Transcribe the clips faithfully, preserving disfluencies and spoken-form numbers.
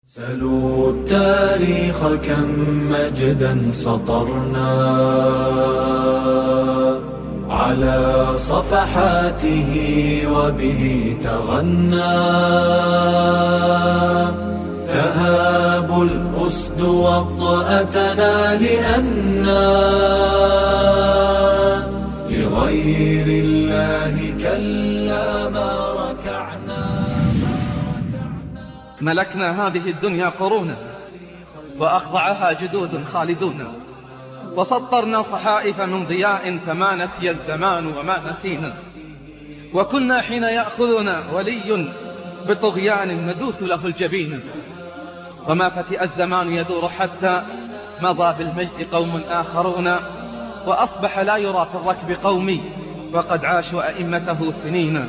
سلوا التاريخ كم مجدا سطرنا على صفحاته وبه تغنى تهاب الأسد وطأتنا لأنا لغير الله كلا ما ركعنا. ملكنا هذه الدنيا قرونا وأخضعها جدود خالدون، وسطرنا صحائف من ضياء فما نسي الزمان وما نسينا، وكنا حين يأخذنا ولي بطغيان ندوث له الجبين، وما فتئ الزمان يدور حتى مضى بالمجد قوم آخرون، وأصبح لا يرى في الركب قومي وقد عاشوا أئمته سنين.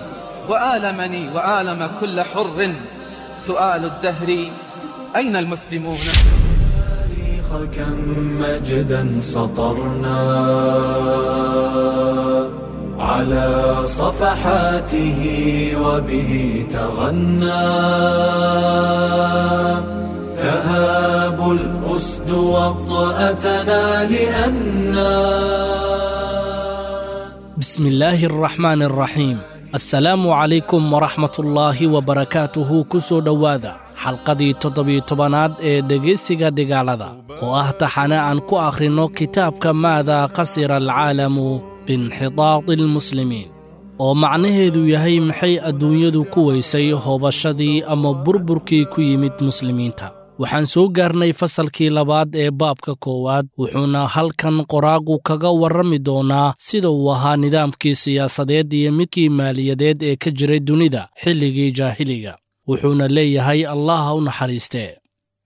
وآلمني وآلم كل حر سؤال الدهر أين المسلمون؟ كم مجدا سطرنا على صفحاته وبه تغنى تهاب الأسد وطأتنا لأنا. بسم الله الرحمن الرحيم. Assalaamu calaykum waraxmatullaahi wabarakaatuhu. Ku soo dhowaada xalqadii toddobiyo tobanaad ee dhegaysiga dhigaalada oo ah taxane aan ku akhrinno kitaabka Maadaa Khasira Alcaalamu biinxitaadi almuslimiin, oo macnaheedu yahay maxay adduunyadu ku weysay hoobashadii ama burburkii ku yimid muslimiinta. Waxaan soo gaarnay fasalkii labaad ee baabka koowaad, wuxuuna halkan qoraagu kaga warrami doonaa sida uu ahaa nidaamkii siyaasadeed iyo midkii maaliyadeed ee ka jiray dunida xilligii jaahiliga. Wuxuuna leeyahay Allah ha u naxariistee.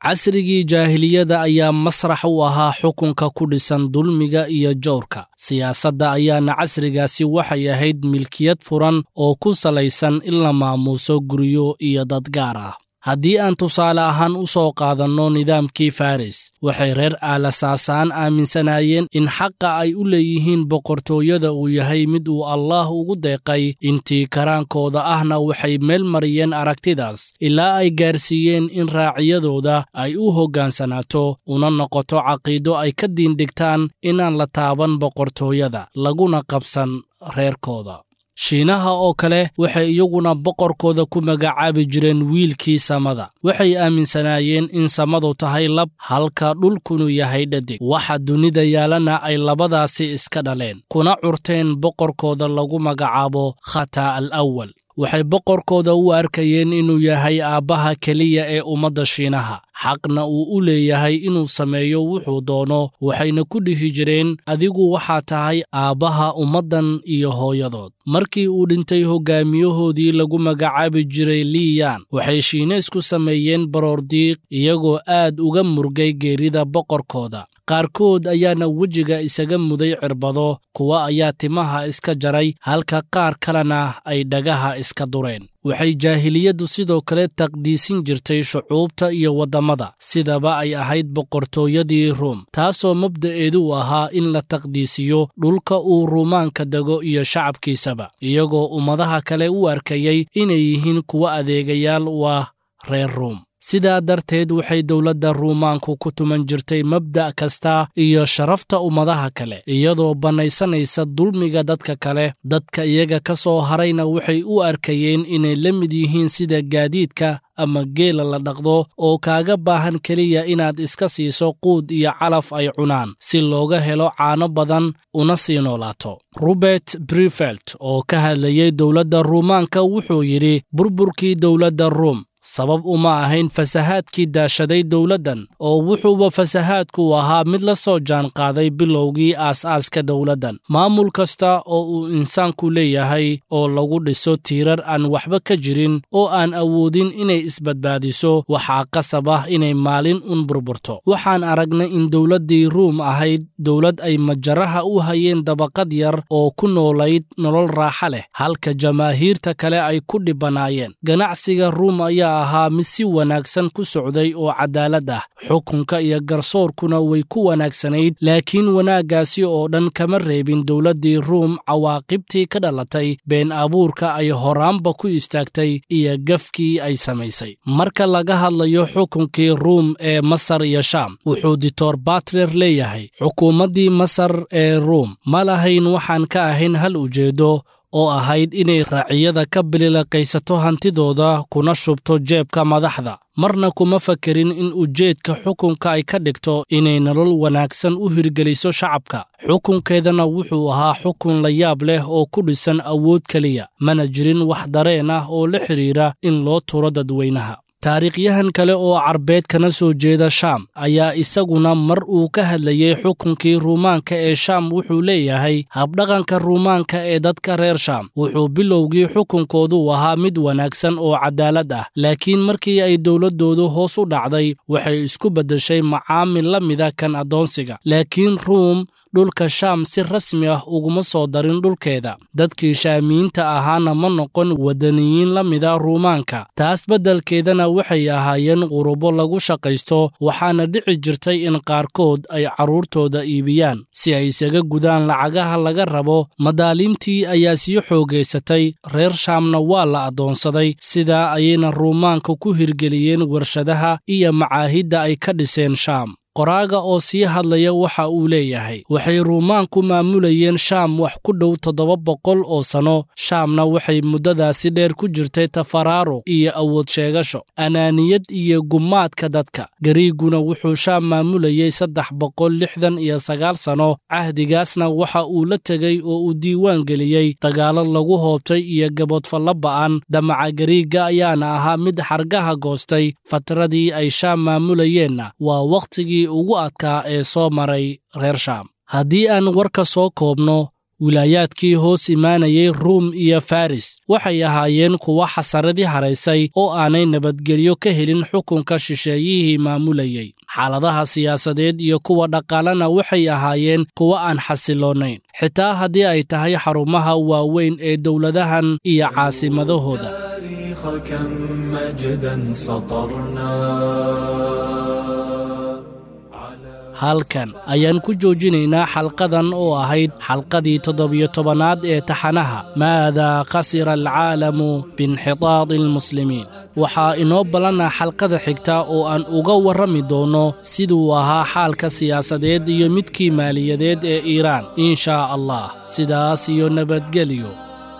Casrigii jaahiliyada ayaa masrax u ahaa xukunka ku dhisan dulmiga iyo jawrka. Siyaasadda ayaana casrigaasi waxay ahayd milkiyad furan oo ku salaysan in la maamuuso guryo iyo dad gaar ah. Haddii aan tusaale ahaan u soo qaadanno nidaamkii Faris, waxay reer Aalasaasaan aaminsanaayeen in xaqa ay u leeyihiin boqortooyada uu yahay mid uu Allaah ugu deeqay. Intii karaankooda ahna waxay meel mariyeen aragtidaas ilaa ay gaarsiiyeen in raaciyadooda ay u hoggaansanaato una noqoto caqiido ay ka diindhigtaan inaan la taaban boqortooyada laguna qabsan reerkooda. Shiinaha oo kale waxay iyaguna boqorkooda ku magacaabi jireen wiilkii samada. Waxay aaminsanaayeen in samadu tahay lab halka dhulkunu yahay dhadig, waxa dunida yaalana ay labadaasi iska dhaleen, kuna curteen boqorkooda lagu magacaabo Khata al Awal. Waxay boqorkooda u arkayeen inuu yahay aabbaha keliya ee ummadda Shiinaha, xaqna uu u leeyahay inuu sameeyo wuxuu doono. Waxayna ku dhihi jireen adigu waxaa tahay aabbaha ummaddan iyo hooyadood. Markii uu dhintay hoggaamiyahoodii lagu magacaabi jiray Liyan, waxay Shiineysku sameeyeen baroordiiq iyagoo aad uga murgay geerida boqorkooda. Qaarkood ayaana wejiga isaga muday cirbado, kuwa ayaa timaha iska jaray, halka qaar kalena ay dhagaha iska dureen. Waxay jaahiliyaddu sidoo kale taqdiisin jirtay shucuubta iyo waddamada, sidaba ay ahayd boqortooyadii Ruum, taasoo mabda'eedu ahaa in la taqdiisiyo dhulka uu Ruumaanka dego iyo shacabkiisaba, iyagoo ummadaha kale u arkayay inay yihiin kuwa adeegayaal u ah reer Ruum. Sidaa darteed waxay dowladda Ruumaanku ku tuman jirtay mabda' kasta iyo sharafta ummadaha kale, iyadoo bannaysanaysa dulmiga dadka kale. Dadka iyaga ka soo harayna waxay u arkayeen inay la mid yihiin sida gaadiidka ama geela la dhaqdo oo kaaga baahan keliya inaad iska siiso quud iyo calaf ay cunaan si looga helo caano badan una sii noolaato. Robert Brifelt oo ka hadlayay dowladda Ruumaanka wuxuu yidhi burburkii dowladda Ruum sabab uma ahayn fasahaadkii daashaday dowladdan, oo wuxuuba fasahaadku ahaa mid la soo jaanqaaday bilowgii aas-aaska dowladdan. Maamul kasta oo uu insaanku leeyahay oo lagu dhiso tiirar aan waxba ka jirin oo aan awoodin inay isbadbaadiso, waxaa qasab ah inay maalin un burburto. Waxaan aragnay in dowladdii Ruum ahayd dowlad ay majaraha u hayeen dabaqad yar oo ku noolayd nolol raaxa leh, halka jamaahiirta kale ay ku dhibanaayeen. Ganacsiga Ruum ayaa ayaa ahaa mid si wanaagsan ku socday oo cadaalad ah, xukunka iyo garsoorkuna way ku wanaagsanayd, laakiin wanaaggaasi oo dhan kama reebin dowladdii Ruum cawaaqibtii ka dhalatay been abuurka ay horaanba ku istaagtay iyo gafkii ay samaysay. Marka laga hadlayo xukunkii Ruum ee Masar iyo Shaam, wuxuu Doctor Butler leeyahay xukuumaddii Masar ee Ruum ma lahayn waxaan ka ahayn hal ujeedo oo ahayd inay raaciyada ka bililaqaysato hantidooda kuna shubto jeebka madaxda. Marna kuma fakerin in ujeedka xukunka ay ka dhigto inay nolol wanaagsan u hirgeliso shacabka. Xukunkeedana wuxuu ahaa xukun la yaab leh oo ku dhisan awood keliya, mana jirin wax dareen ah oo la xiriira in loo turo dadweynaha. Taariikhyahan kale oo Carbeed kana soo jeeda Shaam ayaa isaguna mar uu ka hadlayay xukunkii Ruumaanka ee Shaam wuxuu leeyahay habdhaqanka Ruumaanka ee dadka reer Shaam wuxuu bilowgii xukunkoodu ahaa mid wanaagsan oo cadaalad ah, laakiin markii ay dowladoodu hoos u dhacday waxay isku beddeshay macaamil la mida kan addoonsiga. Laakiin Ruum dhulka Shaam si rasmi ah uguma soo darin dhulkeeda, dadkii Shaamiyiinta ahaana ma noqon wadaniyiin la mida Ruumaanka. Taas beddelkeedana waxay ahaayeen qurubo lagu shaqaysto, waxaana dhici jirtay in qaarkood ay carruurtooda iibiyaan si ay isaga gudaan lacagaha laga rabo. Madaaliimtii ayaa sii xoogaysatay, reer Shaamna waa la addoonsaday. Sidaa ayayna Ruumaanka ku hirgeliyeen warshadaha iyo macaahidda ay ka dhiseen Shaam. Qoraaga oo sii hadlaya waxa uu leeyahay waxay Ruumaanku maamulayeen Shaam wax ku dhow toddoba boqol oo sano. Shaamna waxay muddadaasi dheer ku jirtay tafaraaruq iyo awood sheegasho, anaaniyad iyo gumaadka dadka. Gariiguna wuxuu Shaam maamulayay saddex boqol lixdan iyo sagaal sano. Cahdigaasna waxa uu la tegey oo uu diiwaan geliyey dagaallo lagu hoobtay iyo gaboodfallo ba'an. Damaca Gariigga ayaana ahaa mid xargaha goostay. Fatradii ay Shaam maamulayeenna waa wakhtigii ugu adkaa ee soo maray reer Shaam. Haddii aan warka soo koobno, wilaayaadkii hoos imaanayay Ruum iyo Faris waxay ahaayeen kuwa xasaradii haraysay oo aanay nabadgelyo ka helin xukunka shisheeyihii maamulayay. Xaaladaha siyaasadeed iyo kuwa dhaqaalena waxay ahaayeen kuwa aan xasiloonayn, xitaa haddii ay tahay xarumaha waaweyn ee dowladahan iyo caasimadahooda. Halkan ayaan ku joojinaynaa xalqadan oo ahayd xalqadii toddobiyo tobanaad ee taxanaha Maadaa khasira alcaalamu biinxitaadi almuslimiin. Waxaa inoo ballanaa xalqada xigta oo aan uga warrami doono siduu ahaa xaalka siyaasadeed iyo midkii maaliyadeed ee Iiraan, in shaa Allah. Sidaas iyo nabadgelyo.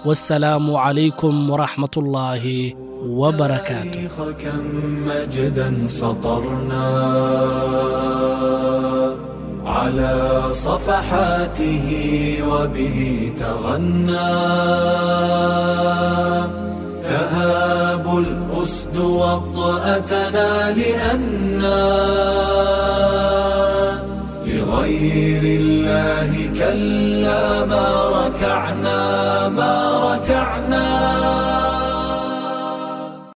Wassalaamu calaykum waraxmatullaahi وبركاته. كم مجدا سطرنا على صفحاته وبه تغنى، تهاب الأسد وطأتنا لأنا لغير الله كلا ما ركعنا ما ركعنا.